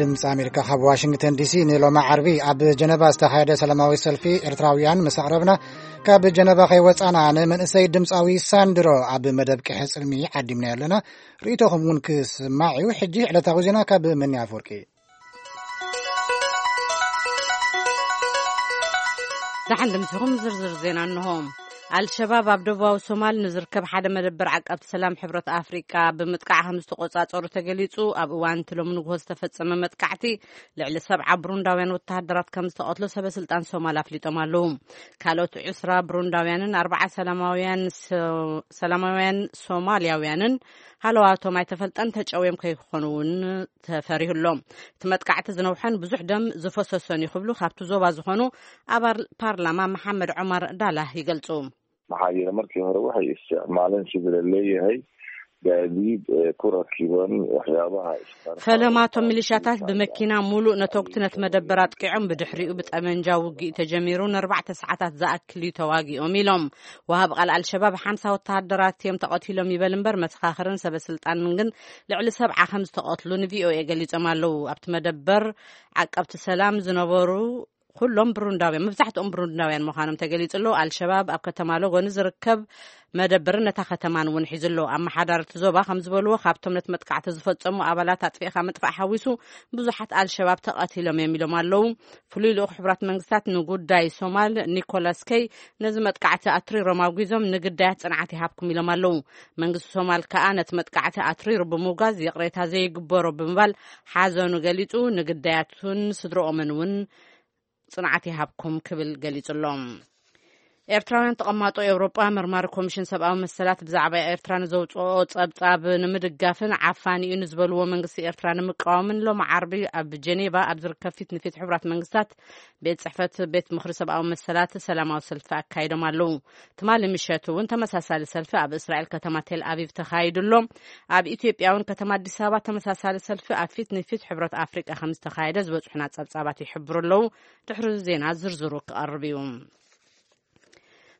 ድምፂ ኣሜሪካ ካብ ዋሽንግተን ዲሲ። ንሎማ ዓርቢ ኣብ ጀነቫ ዝተኻየደ ሰላማዊ ሰልፊ ኤርትራውያን ምስ ኣቕረብና፣ ካብ ጀነቫ ከይወፃና ንመንእሰይ ድምፃዊ ሳንድሮ ኣብ መደብ ቅሐ ፅልሚ ዓዲምና ኣለና። ርእይቶኹም እውን ክስማዕ እዩ። ሕጂ ዕለታዊ ዜና ካብ መኒ ኣፈወርቂ። ደሓን ድምስኹም። ዝርዝር ዜና እንሆ። ኣልሸባብ ኣብ ደቡባዊ ሶማል ንዝርከብ ሓደ መደበር ዓቃብቲ ሰላም ሕብረት ኣፍሪቃ ብምጥቃዕ ከም ዝተቆጻጸሩ ተገሊጹ። ኣብ እዋን እቲ ሎሚ ንግሆ ዝተፈጸመ መጥቃዕቲ ልዕሊ ሰብዓ ብሩንዳውያን ወተሃደራት ከም ዝተቐትሉ ሰበ ስልጣን ሶማል ኣፍሊጦም ኣለዉ። ካልኦት ዕስራ ብሩንዳውያንን ኣርባዓ ሰላማውያን ሶ-፣ ሰላማውያን ሶማልያውያንን ሃለዋቶም ኣይተፈልጠን ተጨውዮም ከይኮኑ እውን ተፈሪሁ ኣሎ። እቲ መጥቃዕቲ ዝነውሐን ብዙሕ ደም ዝፈሰሶን እዩ ክብሉ ካብቲ ዞባ ዝኾኑ ኣባል ፓርላማ መሓመድ ዑመር ዳላህ ይገልጹ። Maxaa yeelay markii hore waxay isticmaaleen sidii la leeyahay gaadiid, eh, ku rakiban waxyaabaha isqarxa. ፈለማቶም ሚሊሻታት ብመኪና ሙሉእ ነተጉቲ ነቲ መደበር ኣጥቂዖም፣ ብድሕሪኡ ብጠመንጃ ውግእ ተጀሚሩ፣ ንኣርባዕተ ሰዓታት ዝኣክል እዩ ተዋጊኦም ኢሎም። ወሃብ ቃል ኣልሸባብ ሓምሳ ወተሃደራት እዮም ተቐቲሎም ይበል እምበር፣ መሰኻኽርን ሰበ ስልጣንን ግን ልዕሊ ሰብዓ ከም ዝተቐትሉ ንቪኦኤ ገሊጾም ኣለዉ። ኣብቲ መደበር ዓቀብቲ ሰላም ዝነበሩ ኩሎም ብሩንዳውያን፣ መብዛሕትኦም ብሩንዳውያን ምዃኖም ተገሊጹ ኣሎ። ኣልሸባብ ኣብ ከተማ ሎጎኒ ዝርከብ መደበርን ነታ ከተማን እውን ሒዙ ኣሎ። ኣመሓዳርቲ ዞባ ከም ዝበልዎ፣ ካብቶም ነቲ መጥቃዕቲ ዝፈጸሙ ኣባላት ኣጥፊእካ ምጥፋእ ሓዊሱ ብዙሓት ኣልሸባብ ተቐቲሎም እዮም ኢሎም ኣለዉ። ፍሉይ ልኡኽ ሕቡራት መንግስታት ንጉዳይ ሶማል ኒኮላስ ከይ ነዚ መጥቃዕቲ ኣትሪሮም ኣውጊዞም፣ ንግዳያት ጽንዓት ይሃብኩም ኢሎም ኣለዉ። መንግስቲ ሶማል ከኣ ነቲ መጥቃዕቲ ኣትሪሩ ብምውጋዝ ይቕሬታ ዘይግበሮ ብምባል ሓዘኑ ገሊጹ፣ ንግዳያቱን ስድረኦምን እውን ጽንዓት ይሃብኩም ክብል ገሊጹ ኣሎ። ኤርትራውያን ተቐማጦ ኤውሮጳ መርማሪ ኮሚሽን ሰብኣዊ መሰላት ብዛዕባ ኤርትራ ንዘውጽኦ ጸብጻብ ንምድጋፍን ዓፋኒ እዩ ንዝበልዎ መንግስቲ ኤርትራ ንምቃወምን ሎሚ ዓርቢ ኣብ ጀኔቫ ኣብ ዝርከብ ፊት ንፊት ሕቡራት መንግስታት ቤት ጽሕፈት ቤት ምኽሪ ሰብኣዊ መሰላት ሰላማዊ ሰልፊ ኣካይዶም ኣለዉ። ትማሊ ምሸት እውን ተመሳሳሊ ሰልፊ ኣብ እስራኤል ከተማ ቴል ኣቪቭ ተኻይዱ ኣሎ። ኣብ ኢትዮጵያ እውን ከተማ ኣዲስ ኣበባ ተመሳሳሊ ሰልፊ ኣብ ፊት ንፊት ሕብረት ኣፍሪቃ ከም ዝተኻየደ ዝበጽሑና ጸብጻባት ይሕብሩ ኣለዉ። ድሕሪ ዜና ዝርዝሩ ክቐርብ እዩ።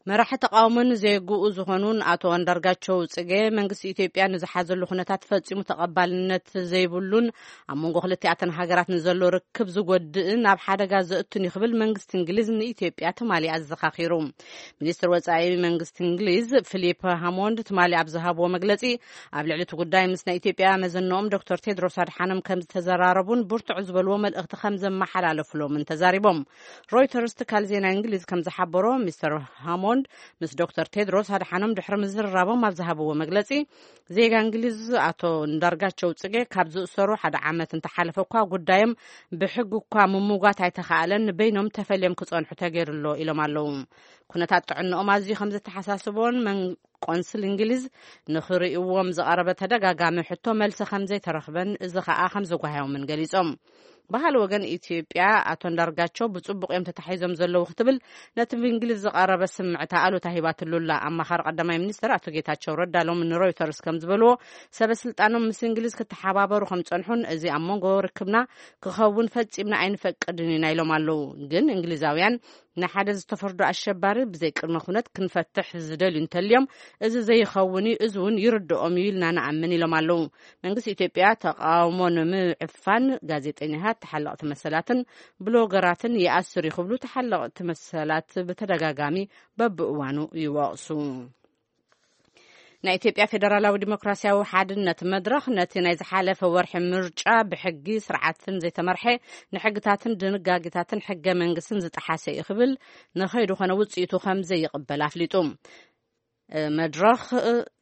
መራሒ ተቃውሞን ዜግኡ ዝኾኑን ኣቶ ኣንዳርጋቸው ጽጌ፣ መንግስቲ ኢትዮጵያ ንዝሓዘሉ ኩነታት ፈጺሙ ተቐባልነት ዘይብሉን ኣብ መንጎ ክልቲኣተን ሃገራት ንዘሎ ርክብ ዝጎድእን ኣብ ሓደጋ ዘእቱን እዩ ክብል መንግስቲ እንግሊዝ ንኢትዮጵያ ትማሊ ኣዘኻኺሩ። ሚኒስትር ወጻኢ መንግስቲ እንግሊዝ ፊሊፕ ሃሞንድ ትማሊ ኣብ ዝሃብዎ መግለጺ፣ ኣብ ልዕሊ እቲ ጉዳይ ምስ ናይ ኢትዮጵያ መዘንኦም ዶክተር ቴድሮስ ኣድሓኖም ከም ዝተዘራረቡን ብርቱዕ ዝበልዎ መልእኽቲ ከም ዘመሓላለፉሎምን ተዛሪቦም። ሮይተርስ ትካል ዜና እንግሊዝ ከም ዝሓበሮ፣ ሚስተር ሃሞንድ ምስ ዶክተር ቴድሮስ ኣድሓኖም ድሕሪ ምዝርራቦም ኣብ ዝሃብዎ መግለጺ፣ ዜጋ እንግሊዝ ኣቶ እንዳርጋቸው ጽጌ ካብ ዝእሰሩ ሓደ ዓመት እንተሓለፈ እኳ ጉዳዮም ብሕጊ እኳ ምምጓት ኣይተኻእለን፣ በይኖም ተፈልዮም ክጸንሑ ተገይሩ ኣሎ ኢሎም ኣለዉ። ኩነታት ጥዕንኦም ኣዝዩ ከም ዘተሓሳስቦን መን-፣ ቆንስል እንግሊዝ ንኽርእይዎም ዝቐረበ ተደጋጋሚ ሕቶ መልሲ ከም ዘይተረኽበን፣ እዚ ኸኣ ከም ዘጓህዮምን ገሊጾም። ባህል ወገን ኢትዮጵያ ኣቶ እንዳርጋቸው ብጽቡቕ እዮም ተታሒዞም ዘለዉ ክትብል ነቲ ብእንግሊዝ ዝቐረበ ስምዕታ ኣሉታ ሂባትሉ ኣላ። ኣማኻሪ ቀዳማይ ሚኒስትር ኣቶ ጌታቸው ረዳ ሎሚ ንሮይተርስ ከም ዝበልዎ፣ ሰበ ስልጣኖም ምስ እንግሊዝ ክተሓባበሩ ከም ጸንሑን እዚ ኣብ መንጎ ርክብና ክኸውን ፈጺምና ኣይንፈቅድን ኢና ኢሎም ኣለዉ። ግን እንግሊዛውያን ንሓደ ዝተፈርዶ ኣሸባሪ ብዘይ ቅድመ ኩነት ክንፈትሕ ዝደልዩ እንተልዮም፣ እዚ ዘይኸውን እዩ፣ እዚ እውን ይርድኦም እዩ ኢልና ንኣምን ኢሎም ኣለዉ። መንግስቲ ኢትዮጵያ ተቃውሞ ንምዕፋን ጋዜጠኛታት፣ ተሓለቕቲ መሰላትን ብሎገራትን ይኣስር እዩ ክብሉ ተሓለቕቲ መሰላት ብተደጋጋሚ በብእዋኑ ይወቕሱ። ናይ ኢትዮጵያ ፌደራላዊ ዲሞክራሲያዊ ሓድነት መድረኽ ነቲ ናይ ዝሓለፈ ወርሒ ምርጫ ብሕጊ ስርዓትን ዘይተመርሐ፣ ንሕግታትን ድንጋጌታትን ሕገ መንግስትን ዝጠሓሰ እዩ ክብል፣ ንኸይዱ ኾነ ውፅኢቱ ከም ዘይቕበል ኣፍሊጡ። መድረኽ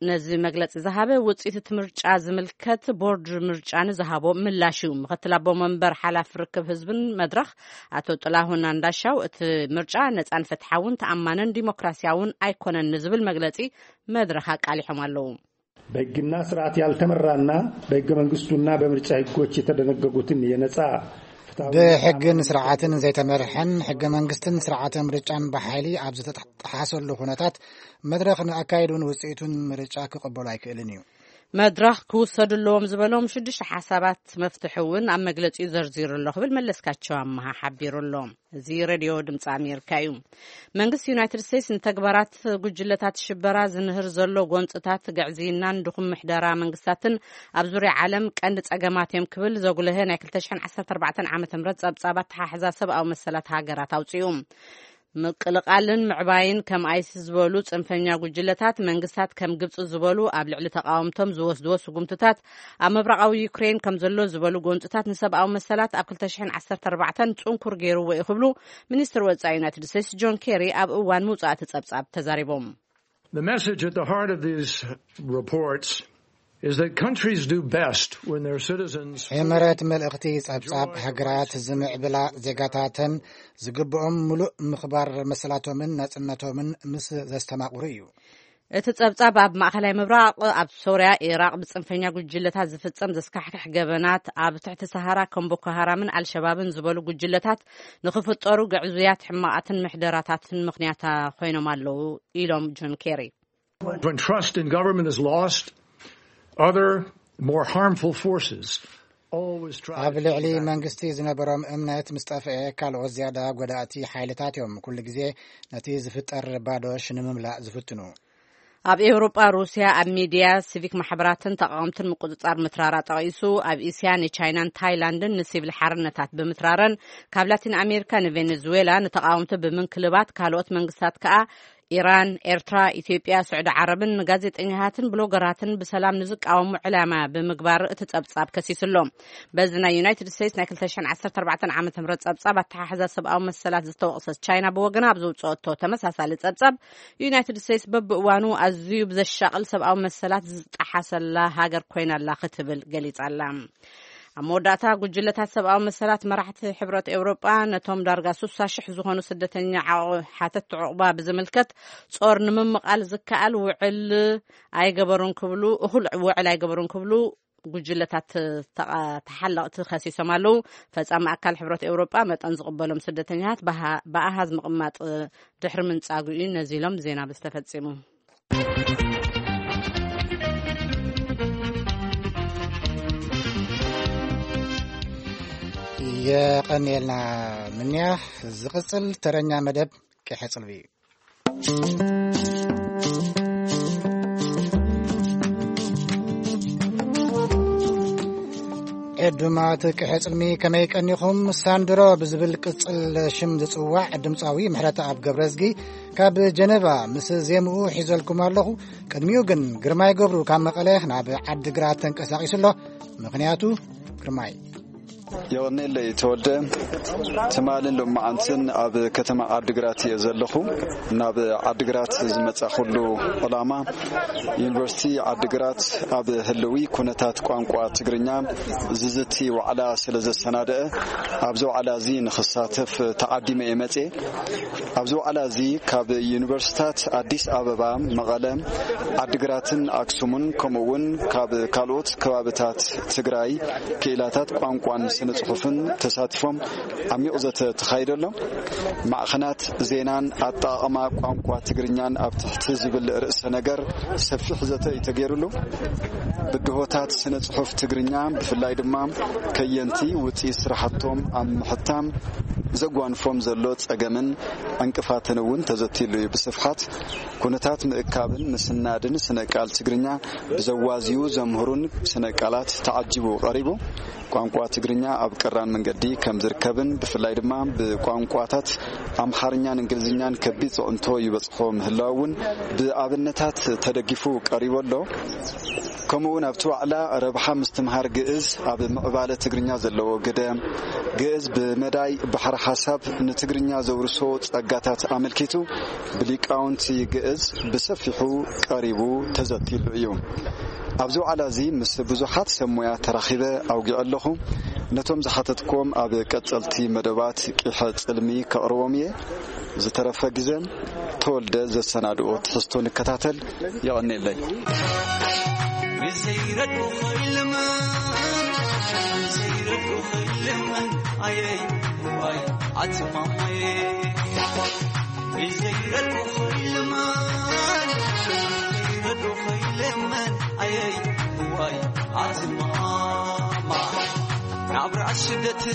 ነዚ መግለፂ ዝሃበ ውፅኢት እቲ ምርጫ ዝምልከት ቦርድ ምርጫ ንዝሃቦ ምላሽ እዩ። ምክትል ኣቦ መንበር ሓላፊ ርክብ ህዝብን መድረኽ ኣቶ ጥላሁን ኣንዳሻው እቲ ምርጫ ነፃን ፍትሓውን ተኣማንን ዲሞክራሲያውን ኣይኮነን ንዝብል መግለፂ መድረኽ ኣቃሊሖም ኣለዉ። በሕግና ስርዓት ያልተመራና፣ በሕገ መንግስቱና በምርጫ ሕጎች የተደነገጉትን የነጻ ፍትሐዊ ብሕግን ስርዓትን ዘይተመርሐን ሕገ መንግስትን ስርዓተ ምርጫን ብሓይሊ ኣብ ዝተጠሓሰሉ ኩነታት መድረኽ ንኣካይዱን ውፅኢቱን ምርጫ ክቕበሉ ኣይክእልን እዩ። መድረኽ ክውሰዱ ኣለዎም ዝበሎም ሽዱሽተ ሓሳባት መፍትሒ እውን ኣብ መግለጺኡ ዘርዚሩ ኣሎ ክብል መለስካቸው ኣመሃ ሓቢሩ ኣሎ። እዚ ሬድዮ ድምፂ ኣሜሪካ እዩ። መንግስቲ ዩናይትድ ስቴትስ ንተግባራት ጉጅለታት ሽበራ ዝንህር ዘሎ ጎንፅታት ግዕዝይናን ድኹም ምሕደራ መንግስታትን ኣብ ዙርያ ዓለም ቀንዲ ፀገማት እዮም ክብል ዘጉልሀ ናይ ክልተ ሽሕን ዓሰርተ ኣርባዕተን ዓመተ ምህረት ፀብፃብ ኣተሓሕዛ ሰብኣዊ መሰላት ሃገራት ኣውፅኡ። ምቅልቃልን ምዕባይን ከም ኣይሲስ ዝበሉ ጽንፈኛ ጉጅለታት መንግስታት ከም ግብጺ ዝበሉ ኣብ ልዕሊ ተቃወምቶም ዝወስድዎ ስጉምትታት ኣብ ምብራቃዊ ዩክሬን ከም ዘሎ ዝበሉ ጎንጽታት ንሰብኣዊ መሰላት ኣብ ክልተ ሽሕን ዓሰርተ ኣርባዕተን ጽንኩር ገይርዎ እዩ ክብሉ ሚኒስትር ወጻኢ ዩናይትድ ስቴትስ ጆን ኬሪ ኣብ እዋን ምውጻእ እቲ ጸብጻብ ተዛሪቦም። The message at the heart of these reports is that countries do best when their citizens ሕመረት መልእኽቲ ጸብጻብ ሃገራት ዝምዕብላ ዜጋታተን ዝግብኦም ምሉእ ምኽባር መሰላቶምን ናጽነቶምን ምስ ዘስተማቕሩ እዩ። እቲ ጸብጻብ ኣብ ማእከላይ ምብራቕ፣ ኣብ ሶርያ፣ ኢራቕ ብጽንፈኛ ጉጅለታት ዝፍጸም ዘስካሕክሕ ገበናት፣ ኣብ ትሕቲ ሰሃራ ከም ቦኮ ሃራምን ኣልሸባብን ዝበሉ ጉጅለታት ንኽፍጠሩ ግዕዙያት ሕማቓትን ምሕደራታትን ምኽንያታ ኮይኖም ኣለዉ ኢሎም ጆን ኬሪ። When trust in government is lost, other more harmful forces always try ኣብ to ልዕሊ piggyback. መንግስቲ ዝነበሮም እምነት ምስ ጠፍአ ካልኦት ዝያዳ ጎዳእቲ ሓይልታት እዮም ኩሉ ግዜ ነቲ ዝፍጠር ባዶ ሽንምምላእ ዝፍትኑ። ኣብ ኤውሮጳ ሩስያ ኣብ ሚድያ፣ ሲቪክ ማሕበራትን ተቃወምትን ምቁጽጻር ምትራራ ጠቒሱ፣ ኣብ እስያ ንቻይናን ታይላንድን ንሲቪል ሓርነታት ብምትራረን ካብ ላቲን ኣሜሪካ ንቬኔዙዌላ ንተቃወምቲ ብምንክልባት ካልኦት መንግስታት ከኣ ኢራን፣ ኤርትራ፣ ኢትዮጵያ፣ ስዑዲ ዓረብን ንጋዜጠኛታትን ብሎገራትን ብሰላም ንዝቃወሙ ዕላማ ብምግባር እቲ ጸብጻብ ከሲሱ ኣሎ። በዚ ናይ ዩናይትድ ስቴትስ ናይ ክልተ ሽሕን ዓሰርተ ኣርባዕተን ዓመተ ምህረት ጸብጻብ ኣተሓሕዛ ሰብኣዊ መሰላት ዝተወቕሰት ቻይና ብወገና ኣብ ዘውጽኦቶ ተመሳሳሊ ጸብጻብ ዩናይትድ ስቴትስ በብእዋኑ ኣዝዩ ብዘሻቕል ሰብኣዊ መሰላት ዝጠሓሰላ ሃገር ኮይና ኣላ ክትብል ገሊጻ ኣላ። ኣብ መወዳእታ ጉጅለታት ሰብኣዊ መሰላት መራሕቲ ሕብረት ኤውሮጳ ነቶም ዳርጋ ስሳ ሽሕ ዝኾኑ ስደተኛ ዓቑ-፣ ሓተት ዕቑባ ብዝምልከት ጾር ንምምቓል ዝከኣል ውዕል ኣይገበሩን ክብሉ፣ እኹል ውዕል ኣይገበሩን ክብሉ ጉጅለታት ተቓ-፣ ተሓለቕቲ ከሲሶም ኣለዉ። ፈጻሚ ኣካል ሕብረት ኤውሮጳ መጠን ዝቕበሎም ስደተኛታት ብሃ-፣ ብኣሃዝ ምቕማጥ ድሕሪ ምንጻጉ እዩ ነዚ ኢሎም ዜና ብዝተፈጺሙ። የቐንየልና ምንያ። ዝቕጽል ተረኛ መደብ ቂሐ ጽልቢ እዩ። ዕዱማት ቅሐ ጽልሚ ከመይ ቀኒኹም? ሳንድሮ ብዝብል ቅጽል ሽም ዝጽዋዕ ድምጻዊ ምሕረተኣብ ገብረዝጊ ካብ ጀነቫ ምስ ዜምኡ ሒዘልኩም ኣለኹ። ቅድሚኡ ግን ግርማይ ገብሩ ካብ መቐለ ናብ ዓዲግራት ተንቀሳቒሱ ኣሎ። ምኽንያቱ ግርማይ። የቐኔለይ ተወልደ። ትማልን ሎማዓንትን ኣብ ከተማ ዓዲግራት እየ ዘለኹ። ናብ ዓዲግራት ዝመጻኹሉ ዕላማ፣ ዩኒቨርሲቲ ዓዲግራት ኣብ ህልዊ ኩነታት ቋንቋ ትግርኛ ዝዝቲ ዋዕላ ስለ ዘሰናደአ፣ ኣብዚ ዋዕላ እዚ ንኽሳተፍ ተዓዲመ እየ መጽየ። ኣብዚ ዋዕላ እዚ ካብ ዩኒቨርሲታት ኣዲስ ኣበባ፣ መቐለ፣ ዓዲግራትን ኣክሱምን፣ ከምኡ እውን ካብ ካልኦት ከባብታት ትግራይ ክኢላታት ቋንቋን ስነ ጽሑፍን ተሳቲፎም ዓሚቕ ዘተ ተኻይደሎም። ማዕኸናት ዜናን ኣጠቓቕማ ቋንቋ ትግርኛን ኣብ ትሕቲ ዝብል ርእሰ ነገር ሰፊሕ ዘተ እዩ ተገይሩሉ። ብድሆታት ስነ ጽሑፍ ትግርኛ፣ ብፍላይ ድማ ከየንቲ ውጽኢት ስራሕቶም ኣብ ምሕታም ዘጓንፎም ዘሎ ጸገምን ዕንቅፋትን እውን ተዘትይሉ እዩ። ብስፍሓት ኩነታት ምእካብን ምስናድን ስነ ቃል ትግርኛ ብዘዋዝዩ ዘምህሩን ስነ ቃላት ተዓጂቡ ቀሪቡ። ቋንቋ ትግርኛ ኣብ ቀራን መንገዲ ከም ዝርከብን ብፍላይ ድማ ብቋንቋታት ኣምሓርኛን እንግሊዝኛን ከቢድ ጽዕንቶ ይበጽሖ ምህላው እውን ብኣብነታት ተደጊፉ ቀሪቡ ኣሎ። ከምኡ እውን ኣብቲ ዋዕላ ረብሓ ምስትምሃር ግእዝ ኣብ ምዕባለ ትግርኛ ዘለዎ ግደ፣ ግእዝ ብመዳይ ባሕሪ ሓሳብ ንትግርኛ ዘውርሶ ጸጋታት ኣመልኪቱ ብሊቃውንቲ ግእዝ ብሰፊሑ ቀሪቡ ተዘቲሉ እዩ። ኣብዚ ዋዕላ እዚ ምስ ብዙሓት ሰብ ሞያ ተራኺበ ኣውጊዐ ኣለኹ። ነቶም ዝሓተትክዎም ኣብ ቀጸልቲ መደባት ቂሐ ጽልሚ ከቕርቦም እየ። ዝተረፈ ግዘ ተወልደ ዘሰናድኦ ትሕዝቶ ንከታተል። የቐኔለይ። ብዘይረዱ ኸይልመን፣ ብዘይረዱ ኸይልመን፣ ኣየይ፣ ዋይ፣ ኣትማማየ። ብዘይረዱ ኸይልመን፣ ብዘይረዱ ኸይልመን፣ ኣየይ፣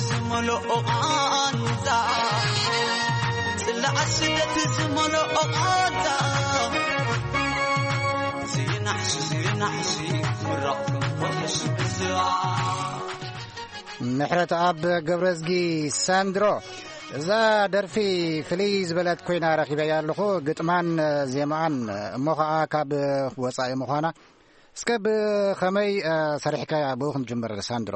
ዝመልኦ ቃንዛ፣ ጽላዕ ስደት ዝመልኦ ቃንዛ፣ ዝናሕሲ፣ ዝናሕሲ፣ ምራቕ ክንፈውስ ብዝኣ። ምሕረት ኣብ ገብረዝጊ ሳንድሮ። እዛ ደርፊ ፍልይ ዝበለት ኮይና ረኺበያ ኣለኹ፣ ግጥማን ዜማኣን እሞ ኸኣ ካብ ወጻኢ ምዃና። እስከ ብኸመይ፣ እ፣ ሰሪሕካያ? ብኡ ክንጅምር ሳንድሮ።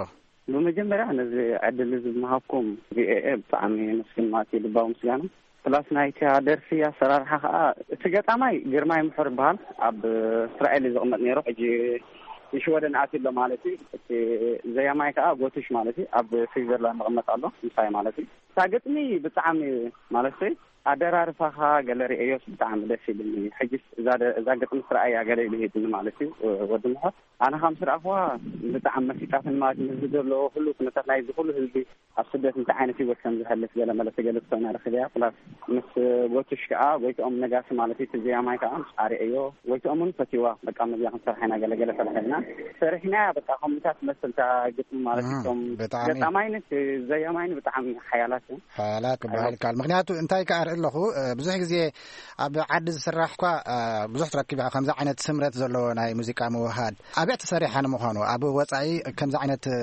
ብመጀመርያ ነዚ ዕድል እዚ ብምሃብኩም ቪኦኤ ብጣዕሚ የመስግን ማለት እዩ፣ ልባዊ ምስጋና። ፕላስ ናይታ ደርፊ ኣሰራርሓ ኸኣ፣ እቲ ገጣማይ ግርማይ ምሑር ይበሃል። ኣብ እስራኤል እዩ ዝቕመጥ ነይሩ፣ ሕጂ ንሽወደን ኣትዩ ኣሎ ማለት እዩ። እቲ ዘያማይ ከኣ ጎትሽ ማለት እዩ፣ ኣብ ስዊዘርላንድ ይቕመጥ ኣሎ ምሳይ ማለት እዩ። እታ ግጥሚ ብጣዕሚ ማለት ኣደራርፋኻ ገለ ርእዮስ ብጣዕሚ ደስ ኢሉኒ። ሕጅስ እዛ ደ-፣ እዛ ግጥሚ ስረኣያ ገለ ኢሉ ሂብኒ ማለት እዩ፣ ወዲ ምሑር። ኣነ ከም ስረኣኽዋ ብጣዕሚ መሲጣትኒ ማለት እዩ። ህዝቢ ዘሎ ኩሉ ኩነታት ናይዚ ኩሉ ህዝቢ ኣብ ስደት እንታይ ዓይነት ህይወት ከም ዝሕልፍ ገለ መለ ትገልጽ ኮይና ረኺበያ። ፕላስ ምስ ጎትሽ ከኣ ጎይትኦም ነጋሲ ማለት እዩ፣ እቲ ዘያማይ ከኣ ምስ ኣርእዮ ጎይትኦም እውን ፈትይዋ። በቃ መዚኣ ክንሰርሓ ኢና ገለ ገለ ሰሪሕና። ሰሪሕናያ በቃ ከምኡታት ትመስል እታ ግጥሚ ማለት እዩ። እም፣ እቶም ብጣዕሚ። ገጣማይን ዘያማይን ብጣዕሚ ሓያላት እዮም። ሓያላት ክበሃል ይከኣል። ምኽንያቱ እንታይ ከኣ ርኢ ኣለኹ፣ እ፣ ብዙሕ ግዜ ኣብ ዓዲ ዝስራሕ እኳ፣ እ፣ ብዙሕ ትረክብ ኢኻ ከምዚ ዓይነት ስምረት ዘለዎ ናይ ሙዚቃ ምውሃድ። ኣበይ ተሰሪሓ ንምዃኑ? ኣብ ወጻኢ ከምዚ ዓይነት፣ እ፣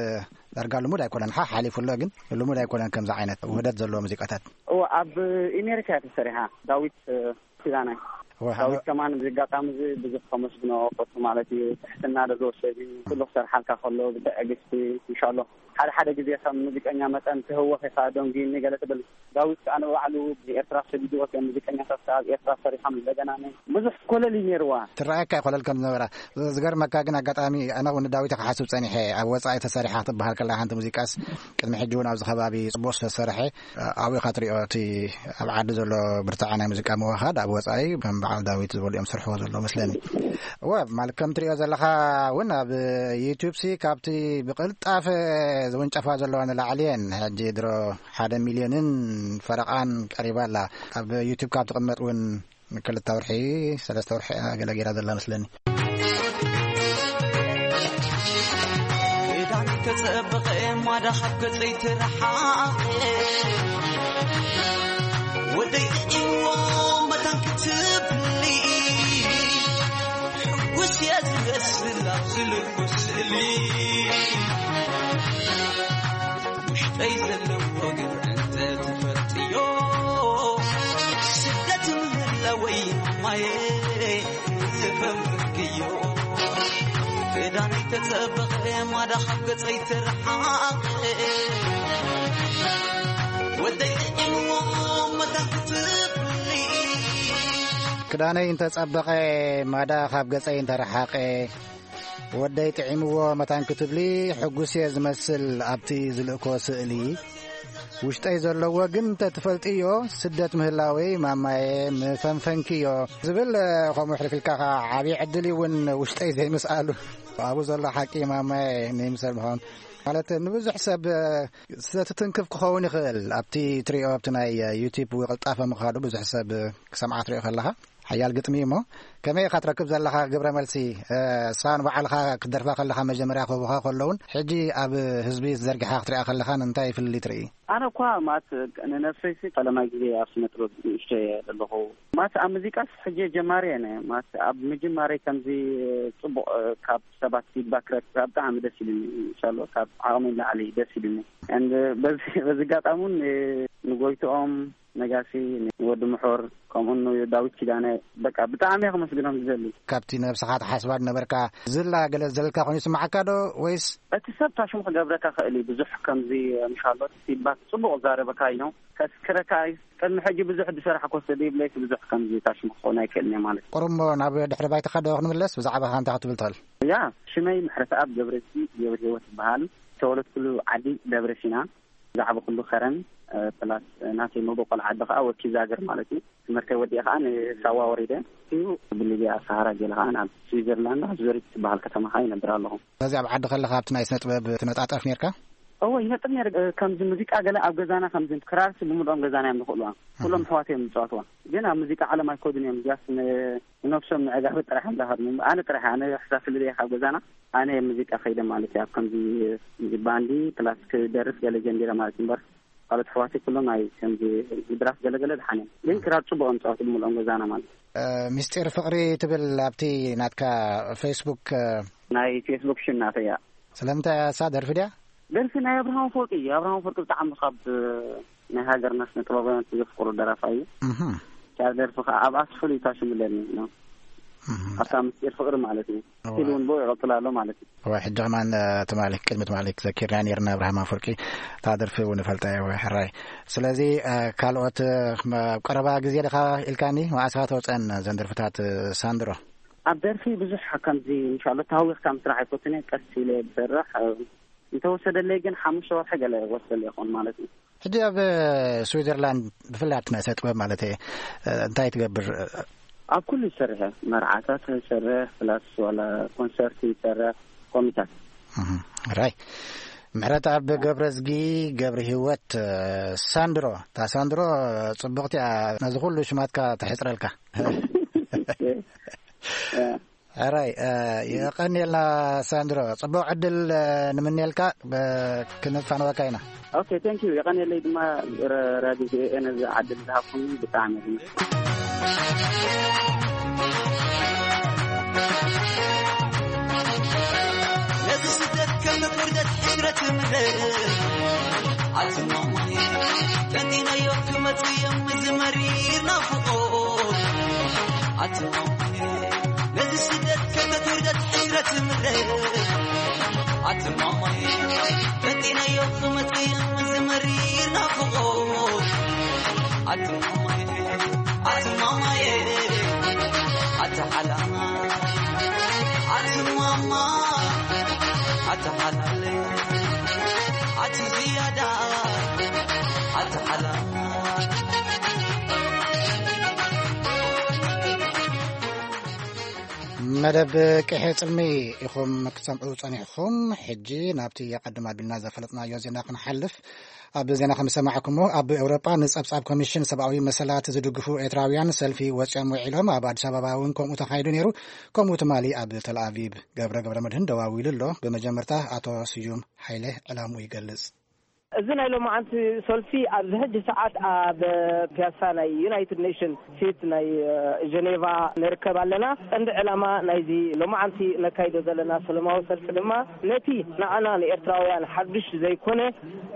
ዳርጋ ልሙድ ኣይኮነን። ሓ-፣ ሓሊፉ ኣሎ፣ ግን ልሙድ ኣይኮነን ከምዚ ዓይነት ውህደት ዘለዎ ሙዚቃታት። እወ፣ ኣብ ኣሜሪካ እያ ተሰሪሓ። ዳዊት፣ እ፣ ኪዳነ። እወ፣ ዳዊት ከማን ብዚ ኣጋጣሚ እዚ ብዙሕ ከመስግኖ ፈቱ ማለት እዩ። ትሕትና ዘለዎ ሰብ እዩ። ኩሉ ክሰርሓልካ ከሎ ብትዕግስቲ፣ ኢንሻሎ። ሓደ ሓደ ግዜ ከም ሙዚቀኛ መጠን ትህወኽ ኢኻ፣ ደንጉዩኒ ገለ ትብል። ዳዊት ከኣ ንባዕሉ ንኤርትራ ሰዲድዎ ከም ሙዚቀኛታት ከኣ ኣብ ኤርትራ ሰሪሖም እንደገና ነ-፣ ብዙሕ ኮለል እዩ ነይርዋ። ትረኣየካ እዩ ኮለል ከም ዝነበራ። ዝገርመካ ግን ኣጋጣሚ ኣነ እውን ንዳዊት ክሓስብ ጸኒሐ። ኣብ ወጻኢ ተሰሪሓ ክትበሃል ከላ ሓንቲ ሙዚቃስ ቅድሚ ሕጂ እውን ኣብዚ ከባቢ ጽቡቕ ዝተሰርሐ ኣብኡ ኢኻ ትሪኦ። እቲ ኣብ ዓዲ ዘሎ ብርትዐ ናይ ሙዚቃ ምውሃድ ኣብ ወጻኢ ከም በዓል ዳዊት ዝበሉ እዮም ዝሰርሕዎ ዘለዉ መስለኒ። እወ፣ ማለት ከም ትሪኦ ዘለኻ እውን ኣብ ዩቱብ ሲ ካብቲ ብቕልጣፈ ዝውንጨፋ ዘለዋ ንላዕሊ እየን። ሕጂ ድሮ ሓደ ሚልዮንን ፈረቓን ቀሪባ ኣላ። ኣብ ዩቱብ ካብ ትቕመጥ እውን ንክልተ ወርሒ፣ ሰለስተ ወርሒ እያ ገለ ገይራ ዘላ መስለኒ። ክዳን ተጸበቐ ማዳ ካብ ገጸይ ትረሓቐ። ወደይ ጥዒምዎ መታን ክትብሊ። ሕጉስ እየ ዝመስል ኣብዚ ልኩስ ስእሊ። ውሽጠይ ዘለዎ ግን እንተ ትፈልጥዮ፣ ስደት ምህላወይ ማየ ዝፈምክዮ። ክዳነይ ተጸበቐ ማዳ ካብ ገጸይ ትርሓቐ። ወደይ ጥዒምዎ መታን ክትብሊ። ክዳነይ እንተጸበቐ ማዳ ካብ ገጸይ እንተረሓቐ። ወደይ ጥዒምዎ መታን ክትብሊ ሕጉስ እየ ዝመስል ኣብቲ ዝልእኮ ስእሊ። ውሽጠይ ዘለዎ ግን እንተትፈልጥዮ፣ ስደት ምህላወይ ማማየ ምፈንፈንክዮ ዝብል፣ ከምኡ ሕልፍ ኢልካ ኸዓ ዓብዪ ዕድል እዩ እውን ውሽጠይ ዘይምስኣሉ። ኣብኡ ዘሎ ሓቂ ማማየ ንይምሰል ምዃኑ። ማለት ንብዙሕ ሰብ ዝተትትንክፍ ክኸውን ይኽእል። ኣብቲ ትሪኦ፣ ኣብቲ ናይ ዩቲዩብ ቅልጣፈ ምኻዱ ብዙሕ ሰብ ክሰምዓ ትሪኦ ከለኻ። ሓያል ግጥሚ እዩ እሞ፣ ከመይ ኢኻ ትረክብ ዘለኻ ግብረ መልሲ? እ፣ እሳ ንባዕልኻ ክትደርፋ ከለኻ መጀመርያ ክህቡኻ ከለውን፣ ሕጂ ኣብ ህዝቢ ዘርጊሓ ክትሪኣ ከለኻን እንታይ ፍልልይ ትርኢ? ኣነ እኳ ማለት ንነብሰይሲ ፈለማይ ግዜ ኣብ ስነ ጥበብ ንእሽቶ እየ ዘለኹ። ማለት ኣብ ሙዚቃስ ሕጂ ጀማሪ እየ። ማለት ኣብ ምጅማረይ ከምዚ ጽቡቕ፣ እ፣ ካብ ሰባት ፊድባክ ክረክብ ብጣዕሚ ደስ ኢሉኒ። ኢንሻሎ ካብ ዓቕመይ ንላዕሊ ደስ ኢሉኒ። And በዚ፣ በዚ ኣጋጣሚ እውን ንጎይትኦም ነጋሲ፣ ንወዲ ምሑር፣ ከምኡ ንዳዊት ኪዳነ፣ በቃ ብጣዕሚ እየ ከመስግኖም ዝደሊ። ካብቲ ነብስኻ ትሓስባ ዝነበርካ ዝላ ገለ ዘለካ ኮይኑ ይስምዓካ ዶ? ወይስ እቲ ሰብ ታሽሙ ክገብረካ ክእል እዩ። ብዙሕ ከምዚ ምሻሎ ፊድባክ ጽቡቕ ዛረበካ እዩ። ከስክረካ እዩ። ቅድሚ ሕጂ ብዙሕ ዝሰራሕኮ ሰብ የብለይስ ብዙሕ ከምዚ ታሽሙ ክኸውን ኣይክእልን እየ ማለት እዩ። ቁሩብ እሞ ናብ ድሕሪ ባይታኻ ዶ ክንምለስ? ብዛዕባኻ እንታይ ክትብል ትኽእል? ያ፣ ሽመይ ምሕረተኣብ ገብረዝጊ ገብረ ህይወት ይበሃል። ዝተወለድኩሉ ዓዲ ደብረ ሲና። ዝዓበኹሉ ከረን፣ እ፣ ፕላስ ናተይ መበቆል ዓዲ ኸዓ ወኪ ዛግር ማለት እዩ። ትምህርተይ ወዲኤ ኸዓ ንሳዋ ወሪደ እዩ። ብሊብያ ሰሃራ ገለ ኸዓ ናብ ስዊዘርላንድ ኣብ ዙሪክ ትበሃል ከተማ ኸዓ ይነብር ኣለኹ። ስለዚ ኣብ ዓዲ ከለኻ ኣብቲ ናይ ስነ ጥበብ ትነጣጠፍ ኔርካ? እወ፣ ይመጽእ ነይሩ። እ፣ ከምዚ ሙዚቃ ገለ ኣብ ገዛና፣ ከምዚ ክራርሲ ብምልኦም ገዛና እዮም ዝኽእልዋ። ኩሎም ኣሃ። ኣሕዋት እዮም ዝጻወትዋ። ግን ኣብ ሙዚቃ ዓለም ኣይከዱን እዮም። ጃስ ን-፣ ንነብሶም ንዕጋበት ጥራሕ እዮም ዝሃድሙ። ኣነ ጥራሕ፣ ኣነ ሕሳብ ፍልልየ ካብ ገዛና፣ ኣነ ሙዚቃ ከይደ ማለት እዩ። ኣብ ከምዚ፣ እዚ ባንዲ ፕላስ ክደርፍ ገለ ጀሚረ ማለት እዩ። እምበር ካልኦት ኣሕዋተይ ኩሎም ናይ ከምዚ ድራፍ ገለገለ ድሓን እዮም። ግን ክራር ጽቡቕ እዮም ዝጻወቱ ብምልኦም ገዛና ማለት እዩ። እ፣ ምስጢር ፍቕሪ ትብል ኣብቲ ናትካ ፌስቡክ፣ እ፣ ናይ ፌስቡክ ሽም ናተይ እያ። ስለምንታይ እያ እሳ ደርፊ ድያ? ደርፊ ናይ ኣብርሃም ኣፈወርቂ እዩ። ኣብርሃም ኣፈወርቂ ብጣዕሚ ካብ፣ እ፣ ናይ ሃገርና ስነ ጥበባውያን ዘፍቅሮ ደራፋይ እዩ። እህ። እታ ደርፊ ከዓ ኣብ ኣስፍሉ እዩ ታሽምለኒ ነው። እህ። ኣብታ ምስጢር ፍቕሪ ማለት እዩ። እዋ። ስቲል እውን ብኡ ይቕጽል ኣሎ ማለት እዩ። እዋ፣ ሕጂ ከማን፣ እ፣ ትማሊ፣ ቅድሚ ትማሊ ክዘኪርና ነይርና ኣብርሃም ኣፈወርቂ። እታ ደርፊ እውን እፈልጣ እየ፣ ወይ ሕራይ። ስለዚ፣ እ፣ ካልኦት፣ እ፣ መ-፣ ኣብ ቀረባ ግዜ ዲኻ ኢልካኒ፣ መዓስ ኢኻ ተውፀአን እዘን ደርፍታት፣ እ፣ ሳንድሮ? ኣብ ደርፊ ብዙሕ ከምዚ፣ ኢንሻላህ፣ ተሃዊኽካ ምስራሕ ኣይፈቱን እየ። ቀስ ኢለ ዝሰርሕ፣ እ፣ እንተወሰደለይ ግን ሓሙሽተ ወርሒ ገለ ይወስደለይ ይኸውን ማለት እዩ። ሕጂ ኣብ ስዊዘርላንድ፣ ብፍላይ ኣብቲ ናይ ስነ ጥበብ ማለት እየ፣ እንታይ ትገብር? ኣብ ኩሉ ይሰርሕ እየ። መርዓታት ይሰርሕ፣ ፕላስ ዋላ ኮንሰርት ይሰርሕ፣ ኮሚታት። እህ፣ ራይ። ምሕረት ኣብ ገብረዝጊ ገብረ ህይወት፣ ሳንድሮ። እታ ሳንድሮ ጽብቕቲ እያ፣ ነዚ ኩሉ ሽማትካ ተሕጽረልካ። ሕራይ፣ እ፣ የቐንየልና ሳንድሮ። ጽቡቕ ዕድል፣ እ፣ ንምንየልካ፣ ብ-፣ ክንፋነወካ ኢና። ኦኬ፣ ቴንክ ዩ። የቐንየለይ ድማ ረ-፣ ራድዮ ቪ ኦ ኤ ነዚ ዕድል ዝሃብኩምኒ ብጣዕሚ የቐንየለይ። ነዚ ስደት ከም ውርደት ሕስረት ምረ ኣትማማይ ቀንዲናዮ ክመጽእ እዮም እዚ መሪር ናፍቖት ኣትማማይ ነዚ ስደት ከተትውርደት ሕስረት ምረ ኣትማማይ ፈቲነዮ ክመጽእ እዚ መሪር ናፍቖት ኣትማማይ ኣትማማይ ኣትሓላማ ኣትማማ ኣትሓላለ ኣቲ ዝያዳ ኣትሓላማ መደብ ቅሒ ጽልሚ ኢኹም ክትሰምዑ ጸኒሕኹም። ሕጂ ናብቲ ኣቐድም ኣቢልና ዘፈለጥናዮ ዜና ክንሓልፍ። ኣብ ዜና ከም ዝሰማዕኩሞ፣ ኣብ ኤውሮጳ ንጸብጻብ ኮሚሽን ሰብኣዊ መሰላት ዝድግፉ ኤርትራውያን ሰልፊ ወጺኦም ውዒሎም። ኣብ ኣዲስ ኣበባ እውን ከምኡ ተኻይዱ ነይሩ። ከምኡ ትማሊ ኣብ ተልኣቪቭ ገብረ ገብረ መድህን ደዋዊሉ ኣሎ። ብመጀመርታ ኣቶ ስዩም ሓይለ ዕላምኡ ይገልጽ። እዚ ናይ ሎማዓንቲ ሰልፊ ኣብዚ ሕጂ ሰዓት ኣብ ፒያሳ ናይ ዩናይትድ ኔሽን ፊት ናይ፣ እ፣ ጀኔቫ ንርከብ ኣለና። ቀንዲ ዕላማ ናይዚ ሎማዓንቲ ነካይዶ ዘለና ሰለማዊ ሰልፊ ድማ ነቲ ንዓና ንኤርትራውያን ሓዱሽ ዘይኮነ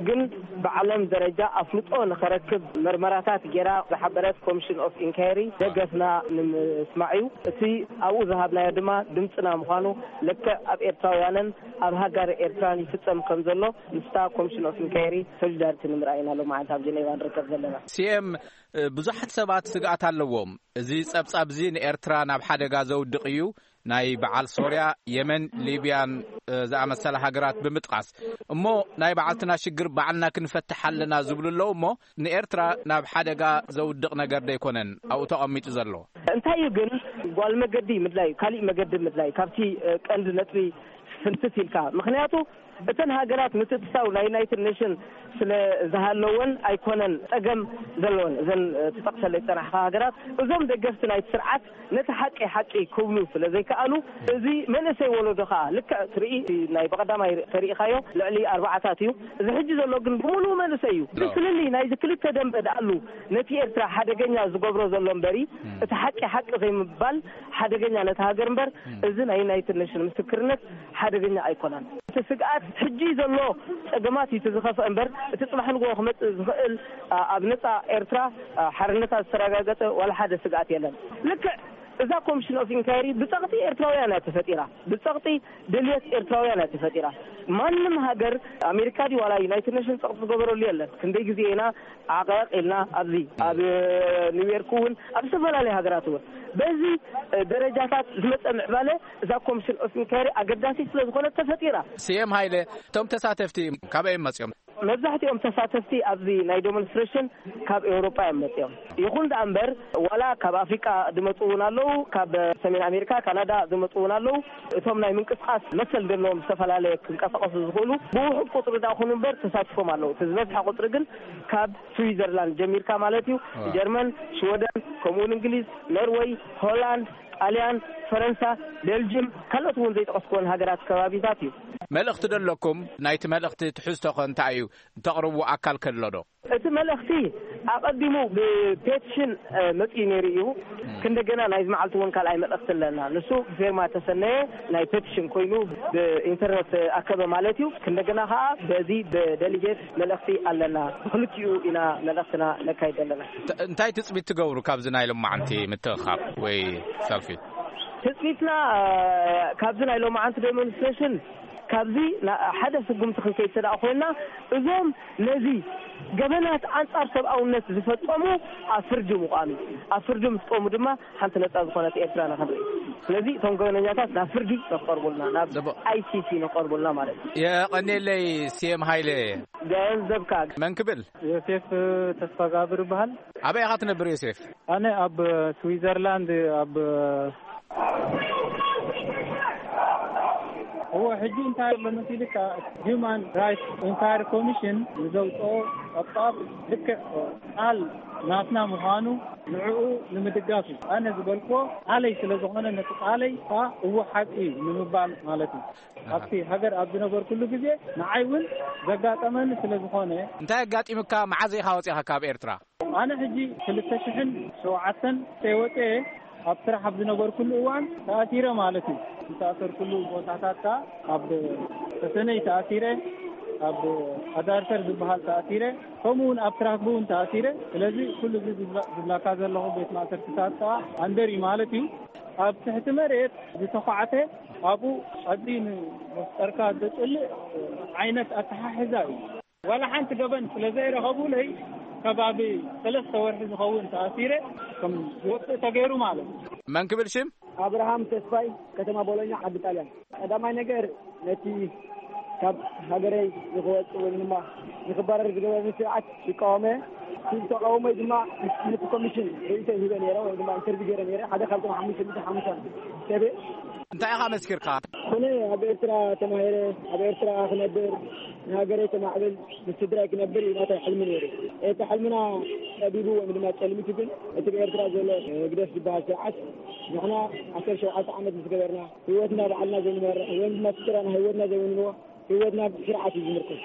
ግን ብዓለም ደረጃ ኣፍልጦ ንኸረክብ መርመራታት ጌራ ዝሓበረት ኮሚሽን ኦፍ ኢንኳየሪ ደገፍና ንምስማዕ እዩ። እቲ ኣብኡ ዝሃብናዮ ድማ ድምፅና ምዃኑ ልክዕ ኣብ ኤርትራውያንን ኣብ ሃገር ኤርትራን ይፍጸም ከም ዘሎ ምስታ ኮሚሽን ኦፍ ኢንኳየሪ ሶሊዳሪቲ ንምርኣይ ኢና ሎማዓንቲ ኣብ ጀኔቫ ንርከብ ዘለና። ሲኤም፣ እ፣ ብዙሓት ሰባት ስግኣት ኣለዎም። እዚ ጸብጻብ እዚ ንኤርትራ ናብ ሓደጋ ዘውድቕ እዩ፣ ናይ በዓል ሶርያ፣ የመን፣ ሊብያን፣ እ፣ ዝኣመሰላ ሃገራት ብምጥቃስ። እሞ ናይ በዓልትና ሽግር ባዕልና ክንፈትሕ ኣለና ዝብሉ ኣለዉ። እሞ ንኤርትራ ናብ ሓደጋ ዘውድቕ ነገር ደይኮነን ኣብኡ ተቐሚጡ ዘሎ። እንታይ እዩ ግን ጓል መገዲ ምድላይ፣ ካሊእ መገዲ ምድላይ ካብቲ፣ እ፣ ቀንዲ ነጥቢ ፍንትት ኢልካ። ምኽንያቱ እተን ሃገራት ምትእትታው ናይ ዩናይትድ ኔሽን ስለ ዝሃለወን ኣይኮነን ጸገም ዘለወን። እዘን፣ እ፣ ትጠቕሰለይ ዝጸናሕካ ሃገራት፣ እዞም ደገፍቲ ናይቲ ስርዓት ነቲ ሓቂ ሓቂ ክብሉ ስለ ዘይከኣሉ፣ እዚ መንእሰይ ወለዶ ከኣ ልክዕ ትርኢ፣ ናይ ብቐዳማይ ተሪኢኻዮ ልዕሊ ኣርባዓታት እዩ። እዚ ሕጂ ዘሎ ግን ብምሉኡ መንእሰይ እዩ። ግን ፍልልይ ናይዚ ክልተ ደንበ ደኣሉ ነቲ ኤርትራ ሓደገኛ ዝገብሮ ዘሎ እምበሪ፣ እቲ ሓቂ ሓቂ ዘይምባል ሓደገኛ ነቲ ሃገር እምበር፣ እዚ ናይ ዩናይትድ ኔሽን ምስክርነት ሓደገኛ ኣይኮነን። እቲ ስግኣት ሕጂ ዘሎ ጸገማት እዩ እቲ ዝኸፍአ እምበር፣ እቲ ጽባሕ ንግሆ ክመጽእ ዝኽእል፣ ኣ-፣ ኣብ ነጻ ኤርትራ፣ ኣ፣ ሓርነታ ዝተረጋገጸ ዋላ ሓደ ስግኣት የለን። ልክዕ እዛ ኮሚሽን ኦፍ ኢንኳየሪ ብጸቕጢ ኤርትራውያን እያ ተፈጢራ። ብጸቕጢ ደልየት ኤርትራውያን እያ ተፈጢራ። ማንም ሃገር፣ ኣሜሪካ ድዩ ዋላ ዩናይትድ ኔሽን ጸቕጢ ዝገበረሉ የለን። ክንደይ ግዜ ኢና ዓቐቕ ኢልና ኣብዚ ኣብ ኒውዮርክ እውን ኣብ ዝተፈላለዩ ሃገራት እውን በዚ ደረጃታት ዝመጸ ምዕባለ እዛ ኮሚሽን ኦፍ ኢንኳየሪ ኣገዳሲ ስለ ዝኾነት ተፈጢራ። ስየም ሃይለ፣ እቶም ተሳተፍቲ ካበይ እዮም መጺኦም? መብዛሕትኦም ተሳተፍቲ ኣብዚ ናይ ዶሞንስትሬሽን ካብ ኤውሮጳ እዮም መጺኦም። ይኹን ደኣ እምበር፣ ዋላ ካብ ኣፍሪቃ ዝመጹ እውን ኣለዉ፣ ካብ ሰሜን ኣሜሪካ፣ ካናዳ ዝመጹ እውን ኣለዉ። እቶም ናይ ምንቅስቃስ መሰል ዘለዎም ዝተፈላለየ ክንቀሳቀሱ ዝኽእሉ ብውሑድ ቁጽሪ ደኣ ይኹኑ እምበር ተሳቲፎም ኣለዉ። እቲ ዝበዝሐ ቁጽሪ ግን ካብ ስዊዘርላንድ ጀሚርካ ማለት እዩ፣ ጀርመን፣ ሽወደን፣ ከምኡ እውን እንግሊዝ፣ ኖርወይ፣ ሆላንድ፣ ጣልያን፣ ፈረንሳ፣ ቤልጅም፣ ካልኦት እውን ዘይጠቀስኩወን ሃገራት ከባቢታት እዩ። መልእኽቲ ዶ ኣለኩም? ናይቲ መልእኽቲ ትሕዝቶ ኸ እንታይ እዩ? እተቕርቡ ኣካል ከሎ ዶ? እቲ መልእኽቲ ኣቐዲሙ ብፔቲሽን፣ እ፣ መጺኡ ነይሩ እዩ። ክንደገና ናይዚ መዓልቲ እውን ካልኣይ መልእኽቲ ኣለና። ንሱ ብፌርማ ተሰነየ ናይ ፔቲሽን ኮይኑ ብኢንተርነት ኣከበ ማለት እዩ። ክንደገና ኸዓ በዚ ብደሊጌት መልእኽቲ ኣለና። ብክልቲኡ ኢና መልእኽትና ነካይድ ኣለና። እንተ-፣ እንታይ ትጽቢት ትገብሩ ካብዚ ናይ ሎማዓንቲ ምትእኻብ ወይ ሰልፊ? ትጽቢትና፣ እ፣ ካብዚ ናይ ሎማዓንቲ ዴሞንስትሬሽን ካብዚ ና-፣ ሓደ ስጉምቲ ክንከይድ ተደኣ ኮይና፣ እዞም ነዚ ገበናት ኣንጻር ሰብኣውነት ዝፈጸሙ ኣብ ፍርዲ ምቋም እዩ። ኣብ ፍርዲ ምስ ቆሙ ድማ ሓንቲ ነጻ ዝኾነት ኤርትራ ንኽንርኢ። ስለዚ እቶም ገበነኛታት ናብ ፍርዲ ንኽቐርቡልና፣ ናብ ጽቡቕ። ኣይ ሲ ሲ ንኽቐርቡልና ማለት እዩ። የቐኔለይ ሲኤም ሃይለ። ገንዘብካ። መን ክብል? ዮሴፍ ተስፋጋብር ይበሃል። ኣበይ ኢኻ ትነብር ዮሴፍ? ኣነ ኣብ ስዊዘርላንድ ኣብ እዎ፣ ሕጂ እንታይ ኣሎ መሲልካ፣ ሂዩማን ራይትስ ኢንኳሪ ኮሚሽን ንዘውፅኦ ጸብጻብ ልክዕ ቃል ናትና ምዃኑ ንዕኡ ንምድጋፍ እዩ። ኣነ ዝበልክዎ ቃለይ ስለ ዝኾነ ነቲ ቃለይ ከዓ እዎ ሓቂ እዩ ንምባል ማለት እዩ። ኣብቲ ሃገር ኣብ ዝነበርኩሉ ግዜ ንዓይ እውን ዘጋጠመኒ ስለ ዝኾነ። እንታይ ኣጋጢምካ? መዓዝ ኢኻ ወፂኻ ካብ ኤርትራ? ኣነ ሕጂ ክልተ ሽሕን ሸውዓተን ወፅኤ ኣብ ስራሕ ኣብ ዝነበርኩሉ እዋን ተኣሲረ ማለት እዩ። ዝተኣሰርኩሉ ቦታታት ከዓ ኣብ ተሰነይ ተኣሲረ፣ ኣብ ኣዳርተር ዝበሃል ተኣሲረ፣ ከምኡ እውን ኣብ ትራክቡ እውን ተኣሲረ። ስለዚ ኩሉ እዚ ዝብላ-፣ ዝብላካ ዘለኹ ቤት ማእሰርትታት ከዓ ኣንደር እዩ ማለት እዩ። ኣብ ትሕቲ መሬት ዝተዃዕተ ኣብኡ ቀዲ ንመፍጠርካ ዘፅልእ ዓይነት ኣተሓሕዛ እዩ። ዋላ ሓንቲ ገበን ስለ ዘይረኸቡለይ ከባቢ ሰለስተ ወርሒ ዝኸውን ተኣሲረ ከም ዝወፅእ ተገይሩ ማለት እዩ። መን ክብል ሽም? ኣብርሃም ተስፋይ፣ ከተማ ቦሎኛ፣ ዓዲ ጣልያን። ቀዳማይ ነገር ነቲ ካብ ሃገረይ ንክወፅእ ወይ ድማ ንክባረር ዝገበረኒ ስርዓት ይቃወመ። እቲ ተቃውሞይ ድማ ነቲ ኮሚሽን ርእይቶ ሂበ ነይረ ወይ ድማ ኢንተርቪው ገይረ ነይረ። ሓደ ካብቶም ሓሙሽተ ሚእቲ ሓሙሽተ ሰብ እየ። እንታይ ኢኻ መስኪርካ? ኣነ ኣብ ኤርትራ ተማሂረ፣ ኣብ ኤርትራ ክነብር፣ ንሃገረይ ከማዕብል፣ ምስ ስድራይ ክነብር እዩ ናተይ ሕልሚ ነይሩ። እቲ ሕልምና ጠቢቡ ወይ ድማ ጨልሚቱ ግን እቲ ብኤርትራ ዘሎ ህግደፍ ዝበሃል ስርዓት ንሕና ዓሰርተ ሸውዓተ ዓመት ምስ ገበርና ህይወትና ባዕልና ዘይንመርሕ ወይ ድማ ስድራና ህይወትና ዘይውንንዎ ህይወትና ብስርዓት እዩ ዝምርኮስ።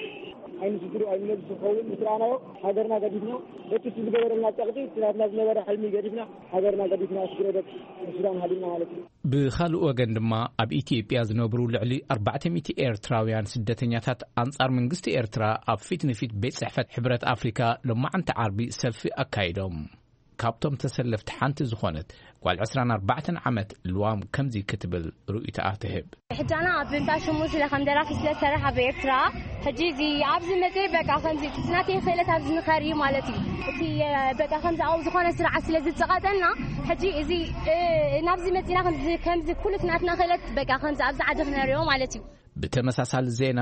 ኣይንስድሩ ኣይንነብስ ዝኸውን ምስ ረኣናዮ ሃገርና ገዲፍና በቲ እሱ ዝገበረልና ጸቕጢ እቲ ናትና ዝነበረ ሕልሚ ገዲፍና ሃገርና ገዲፍና ስግረ ደቂ ሱዳን ሃዲምና ማለት እዩ። ብኻልእ ወገን ድማ ኣብ ኢትዮጵያ ዝነብሩ ልዕሊ ኣርባዕተ ሚእቲ ኤርትራውያን ስደተኛታት ኣንጻር መንግስቲ ኤርትራ ኣብ ፊት ንፊት ቤት ጽሕፈት ሕብረት ኣፍሪካ ሎማዓንቲ ዓርቢ ሰልፊ ኣካይዶም። ካብቶም ተሰለፍቲ ሓንቲ ዝኾነት ጓል ዕስራን ኣርባዕተን ዓመት ልዋም ከምዚ ክትብል ርእይቶኣ ትህብ። ሕጃና ኣብ እንዳ ሽሙ ስለ ከም ደራፊ ስለ ዝሰርሕ ኣብ ኤርትራ፣ ሕጂ እዚ ኣብዚ መጽእ በቃ ከምዚ እቲ ናተይ ክእለት ኣብዚ ንኸርኢ ማለት እዩ። እቲ፣ እ፣ በቃ ከምዚ ኣብኡ ዝኾነ ስርዓት ስለ ዝጸቐጠና፣ ሕጂ እዚ፣ እ፣ ናብዚ መጺና ከምዚ፣ ከምዚ ኩሉ እቲ ናትና ክእለት በቃ ከምዚ ኣብዚ ዓዲ ክነርእዮ ማለት እዩ። ብተመሳሳሊ ዜና፣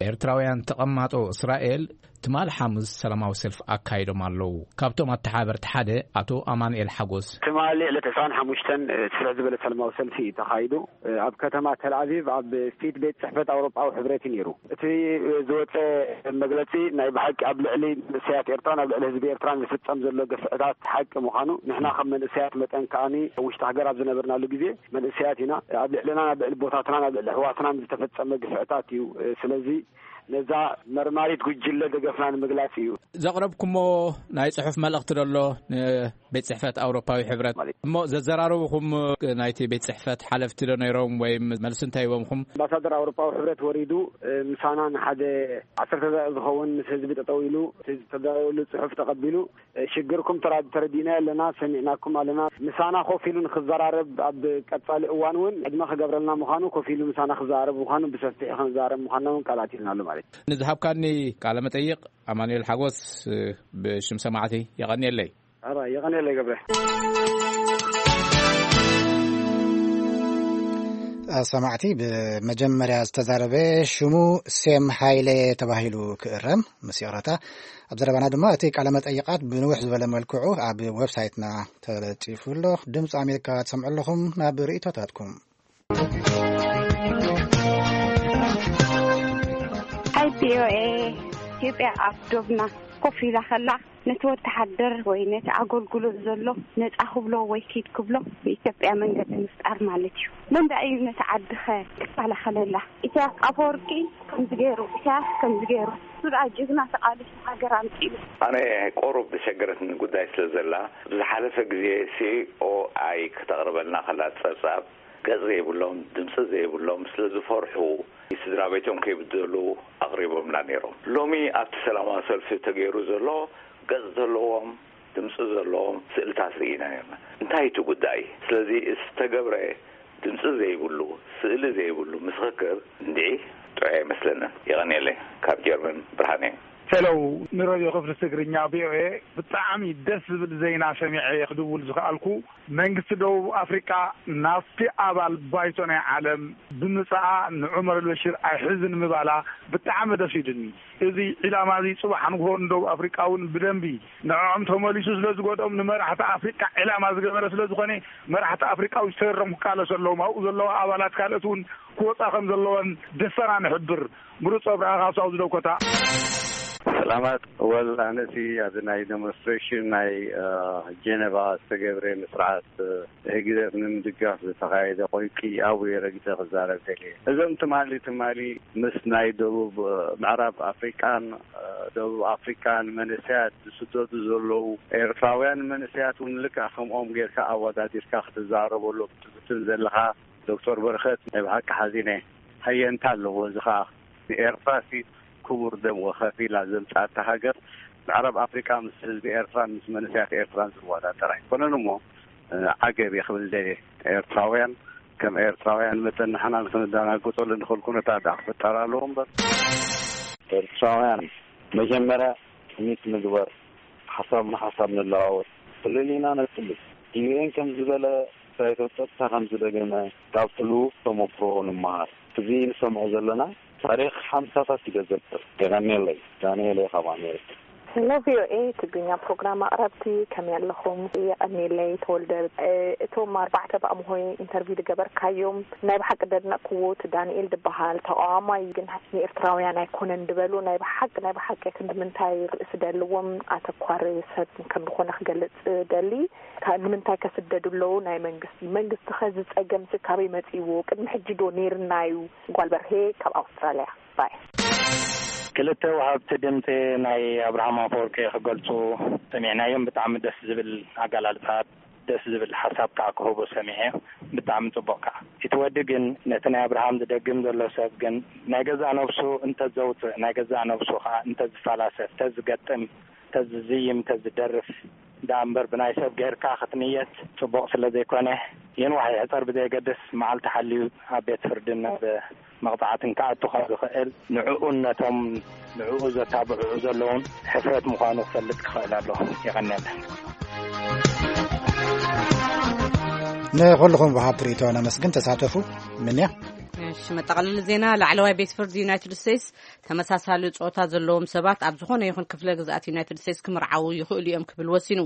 ኤርትራውያን ተቐማጦ እስራኤል ትማል ሓሙስ ሰላማዊ ሰልፊ ኣካይዶም ኣለዉ። ካብቶም ኣተሓበርቲ ሓደ ኣቶ ኣማኑኤል ሓጎስ። ትማሊ ዕለት ዕስራን ሓሙሽተን ስፍሕ ዝበለ ሰላማዊ ሰልፊ እዩ ተኻይዱ። ኣብ ከተማ ተልኣቪቭ ኣብ ፊት ቤት ጽሕፈት ኣውሮጳዊ ሕብረት እዩ ነይሩ። እቲ ዝወጸ መግለጺ ናይ ብሓቂ ኣብ ልዕሊ መንእሰያት ኤርትራን ኣብ ልዕሊ ህዝቢ ኤርትራን ዝፍጸም ዘሎ ግፍዕታት ሓቂ ምዃኑ፣ ንሕና ከም መንእሰያት መጠን ከኣኒ ኣብ ውሽጢ ሃገር ኣብ ዝነበርናሉ ግዜ መንእሰያት ኢና። ኣብ ልዕልና፣ ኣብ ልዕሊ ቦታትናን ኣብ ልዕሊ ኣሕዋትናን ዝተፈጸመ ግፍዕታት እዩ። ስለዚ ነዛ መርማሪት ጉጅለ ደገፍና ንምግላጽ እዩ። ዘቕረብኩሞ ናይ ጽሑፍ መልእኽቲ ደሎ ንቤት ጽሕፈት ኣውሮፓዊ ሕብረት ማለት እዩ። እሞ ዘዘራረቡኹም ናይቲ ቤት ጽሕፈት ሓለፍቲ ዶ ነይሮም ወይም መልሲ እንታይ ሂቦምኹም? ኣምባሳደር ኣውሮፓዊ ሕብረት ወሪዱ፣ እ፣ ምሳና ንሓደ ዓሰርተ ደቂቕ ዝኸውን ምስ ህዝቢ ጠጠው ኢሉ፣ እቲ ዝተዳለወሉ ጽሑፍ ተቐቢሉ፣ ሽግርኩም ተራ-፣ ተረዲእናዮ ኣለና፣ ሰሚዕናኩም ኣለና። ምሳና ኮፍ ኢሉ ንክዘራረብ ኣብ ቀጻሊ እዋን እውን ዕድመ ክገብረልና ምዃኑ፣ ኮፍ ኢሉ ምሳና ክዘራረብ ምዃኑ፣ ብሰፊሑ ክንዘራረብ ምዃንና እውን ቃል ኣትዩልና ኣሎ ማለት እዩ። ንዝሃብካኒ ቃለ መጠይቕ ኣማኑኤል ሓጎስ ብሽም ሰማዕቲ የቐንየለይ። ኣራ፣ የቐንየለይ ገብረ። ሰማዕቲ፣ ብመጀመርያ ዝተዛረበ ሽሙ ሴም ሃይለ ተባሂሉ ክእረም፣ ምስ ይቕረታ። ኣብ ዘረባና ድማ እቲ ቃለ መጠይቓት ብንውሕ ዝበለ መልክዑ ኣብ ዌብሳይትና ተለጢፉ ኣሎ። ድምፂ ኣሜሪካ ትሰምዑ ኣለኹም። ናብ ርእይቶታትኩም። ኣይ ፒ ኦ ኤ ኢትዮጵያ ኣብ ዶብና ኮፍ ኢላ ከላ፣ ነቲ ወተሓደር ወይ ነቲ ኣገልግሎት ዘሎ ነጻ ክብሎ ወይ ኪድ ክብሎ ብኢትዮጵያ መንገዲ ምፍጣር ማለት እዩ። መን ደኣ እዩ ነቲ ዓድኸ ክከላኸለላ? ኢሳያስ ኣፈወርቂ ከምዚ ገይሩ፣ ኢሳያስ ከምዚ ገይሩ። እሱ ደኣ ጅግና ተቓሊሱ ሃገር ኣምጺኡ። ኣነ ቁሩብ ዝሸገረትኒ ጉዳይ ስለ ዘላ፣ ብዝሓለፈ ግዜ ሲ ኦ ኣይ ከተቕርበልና ከላ ጸብጻብ፣ ገጽ ዘይብሎም፣ ድምጺ ዘይብሎም፣ ስለ ዝፈርሑ፣ ስድራ ቤቶም ከይብደሉ ኣቕሪቦምላ ነይሮም። ሎሚ ኣብቲ ሰላማዊ ሰልፊ ተገይሩ ዘሎ፣ ገጽ ዘለዎም፣ ድምጺ ዘለዎም ስእልታት ርኢና ነይርና። እንታይ እቲ ጉዳይ? ስለዚ ዝተገብረ ድምጺ ዘይብሉ፣ ስእሊ ዘይብሉ ምስኽር እንድዒ ጥዑይ ኣይመስለንን። የቐንየለይ። ካብ ጀርመን ብርሃነ። ሄሎ፣ ንረድዮ ክፍሊ ትግርኛ ቪ ኦ ኤ፣ ብጣዕሚ ደስ ዝብል ዜና ሰሚዐ እየ ክድውል ዝኸኣልኩ። መንግስቲ ደቡብ ኣፍሪቃ ናብቲ ኣባል ባይቶ ናይ ዓለም ብምጽኣ ንዑመር ኣልበሽር ኣይሕዝን ምባላ ብጣዕሚ ደስ ኢሉኒ። እዚ ዒላማ እዚ ጽባሕ ንግሆ ንደቡብ ኣፍሪቃ እውን ብደንቢ ንዕኦም ተመሊሱ ስለ ዝጎድኦም፣ ንመራሕቲ ኣፍሪቃ ዒላማ ዝገበረ ስለ ዝኾነ፣ መራሕቲ ኣፍሪቃ እውን ዝተረም ክቃለሱ ኣለዎም። ኣብኡ ዘለዋ ኣባላት ካልኦት እውን ክወጻ ከም ዘለወን ደስታና ንሕብር። ምሩጽ ኣብርሃ ካብ ሳውዝ ዳኮታ። ሰላማት። ወል ኣነሲ ኣብዚ ናይ ዴሞንስትሬሽን ናይ ጀነቫ ዝተገብረ ንስርዓት ህግደፍ ንምድጋፍ ዝተኻየደ ቆይቂ ኣብኡ ረጊጸ ክዛረብ ደልየ። እዞም ትማሊ ትማሊ ምስ ናይ ደቡብ ምዕራብ ኣፍሪቃን ደቡብ ኣፍሪቃን መንእሰያት ዝስደዱ ዘለዉ ኤርትራውያን መንእሰያት እውን ልክዕ ከምኦም ጌርካ ኣወዳዲርካ ክትዛረበሎም ትፍትን ዘለኻ ዶክተር በረኸት፣ ናይ ብሓቂ ሓዚነ። ሃየንታ ኣለዎ። እዚ ኸኣ ንኤርትራሲ ክቡር ደም ወከፊላ ዘምጻእታ ሃገር፣ ምዕራብ ኣፍሪቃ ምስ ህዝቢ ኤርትራን ምስ መንእሰያት ኤርትራን ዝወዳደር ኣይኮነን እሞ፣ ዓገብ እየ ክብል ደልየ። ኤርትራውያን ከም ኤርትራውያን መጠን ንሕና ንክንደናገጸሉ ንኽእል ኩነታት ደኣ ክፍጠር ኣለዎ እምበር። ኤርትራውያን መጀመርያ ትምኒት ንግበር፣ ሓሳብ ንሓሳብ ንለዋወጥ፣ ፍልልይና ነጽብብ። ዩ ኤን ከም ዝበለ፣ ሳይቶ ጸጥታ ከም ዝደገመ፣ ካብ ሕሉፍ ተመክሮ ንምሃር። እዚ ንሰምዖ ዘለና ታሪኽ ሓምሳታት እዩ ዘዘክር። የቐንየለይ። ዳንኤል እየ ካብ ኣሜሪካ። ሄሎ ቪ ኦ ኤ ትግርኛ ፕሮግራም ኣቕረብቲ፣ ከመይ ኣለኹም? የቐንየለይ ተወልደ። እ፣ እቶም ኣርባዕተ ብኣምሆይ ኢንተርቪው ዝገበርካዮም ናይ ብሓቂ ደድነቕክዎ፣ እቲ ዳንኤል ዝበሃል ተቓዋማይ ግን ንኤርትራውያን ኣይኮነን ዝበሉ ናይ ብሓቂ ናይ ብሓቂ ክንዲ ምንታይ ርእሲ ደልዎም ኣተኳሪ ሰብ ከም ዝኾነ ክገልጽ ደሊ። ካ-፣ ንምንታይ ከስደዱ ኣለዉ? ናይ መንግስቲ፣ መንግስቲ ኸ እዚ ጸገም ሲ ካበይ መጺእዎ? ቅድሚ ሕጂ ዶ ነይርና እዩ? ጓል በርሄ ካብ ኣውስትራልያ። ባይ። ክልተ ወሃብቲ ድምፂ ናይ ኣብርሃም ኣፈወርቂ ክገልፁ ሰሚዕናዮም። ብጣዕሚ ደስ ዝብል ኣገላልፃ፣ ደስ ዝብል ሓሳብ ከዓ ክህቡ ሰሚዐ። ብጣዕሚ ፅቡቅ ከዓ። እቲ ወዲ ግን ነቲ ናይ ኣብርሃም ዝደግም ዘሎ ሰብ ግን ናይ ገዛእ ነብሱ እንተዘውፅእ፣ ናይ ገዛእ ነብሱ ከዓ እንተዝፈላሰፍ፣ እንተዝገጥም፣ እንተዝዝይም፣ እንተዝደርፍ ደኣ እምበር ብናይ ሰብ ገይርካ ክትንየት ጽቡቕ ስለ ዘይኮነ፣ የንዋሕ ይሕጸር ብዘየገድስ መዓልቲ ሓልዩ ኣብ ቤት ፍርድን ኣብ መቕጻዕትን ክኣቱ ከም ዝኽእል ንዕኡን ነቶም ንዕኡ ዘታብዕኡ ዘለውን ሕፍረት ምዃኑ ክፈልጥ ክኽእል ኣለዎ። የቐንየልና። ንኹልኹም ወሃብቲ ርእይቶ ነመስግን። ተሳተፉ። ምንያ። እሺ፣ መጠቓለሊ ዜና። ላዕለዋይ ቤት ፍርዲ ዩናይትድ ስቴትስ ተመሳሳሊ ጾታ ዘለዎም ሰባት ኣብ ዝኾነ ይኹን ክፍለ ግዝኣት ዩናይትድ ስቴትስ ክምርዓዉ ይኽእሉ እዮም ክብል ወሲኑ።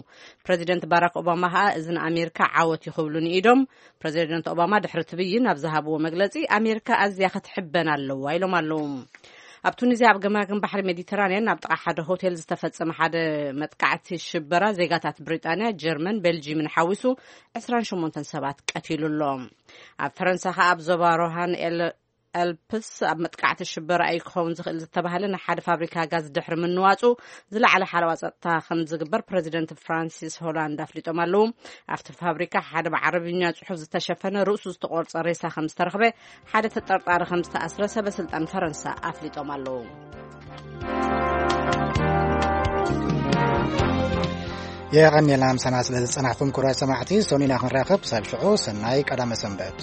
ፕረዚደንት ባራክ ኦባማ ኸኣ እዚ ንኣሜሪካ ዓወት እዩ ክብሉ ንኢዶም። ፕረዚደንት ኦባማ ድሕሪ እቲ ብይን ኣብ ዝሃብዎ መግለጺ፣ ኣሜሪካ ኣዝያ ክትሕበን ኣለዋ ኢሎም ኣለዉ። ኣብ ቱኒዝያ ኣብ ገማግም ባሕሪ ሜዲተራንያን ኣብ ጥቓ ሓደ ሆቴል ዝተፈጸመ ሓደ መጥቃዕቲ ሽበራ ዜጋታት ብሪጣንያ፣ ጀርመን፣ ቤልጂምን ሓዊሱ ዕስራን ሸሞንተን ሰባት ቀቲሉ ኣሎ። ኣብ ፈረንሳ ኸኣ ኣብ ዞባ ሮሃን ኤል ኣልፕስ ኣብ መጥቃዕቲ ሽበራ እዩ ክኸውን ዝኽእል ዝተባህለ ናይ ሓደ ፋብሪካ ጋዝ ድሕሪ ምንዋጹ ዝለዓለ ሓለዋ ጸጥታ ከም ዝግበር ፕረዚደንት ፍራንሲስ ሆላንድ ኣፍሊጦም ኣለዉ። ኣብቲ ፋብሪካ ሓደ ብዓረብኛ ጽሑፍ ዝተሸፈነ ርእሱ ዝተቖርጸ ሬሳ ከም ዝተረኽበ፣ ሓደ ተጠርጣሪ ከም ዝተኣስረ ሰበ ስልጣን ፈረንሳ ኣፍሊጦም ኣለዉ። የቐንየልና ምሳና ስለ ዝጸናሕኩም ክቡራት ሰማዕቲ። ሰኑይ ኢና ክንራኸብ። ክሳብ ሽዑ ሰናይ ቀዳመ ሰንበት።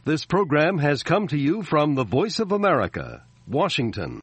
This program has come to you from the Voice of America, Washington.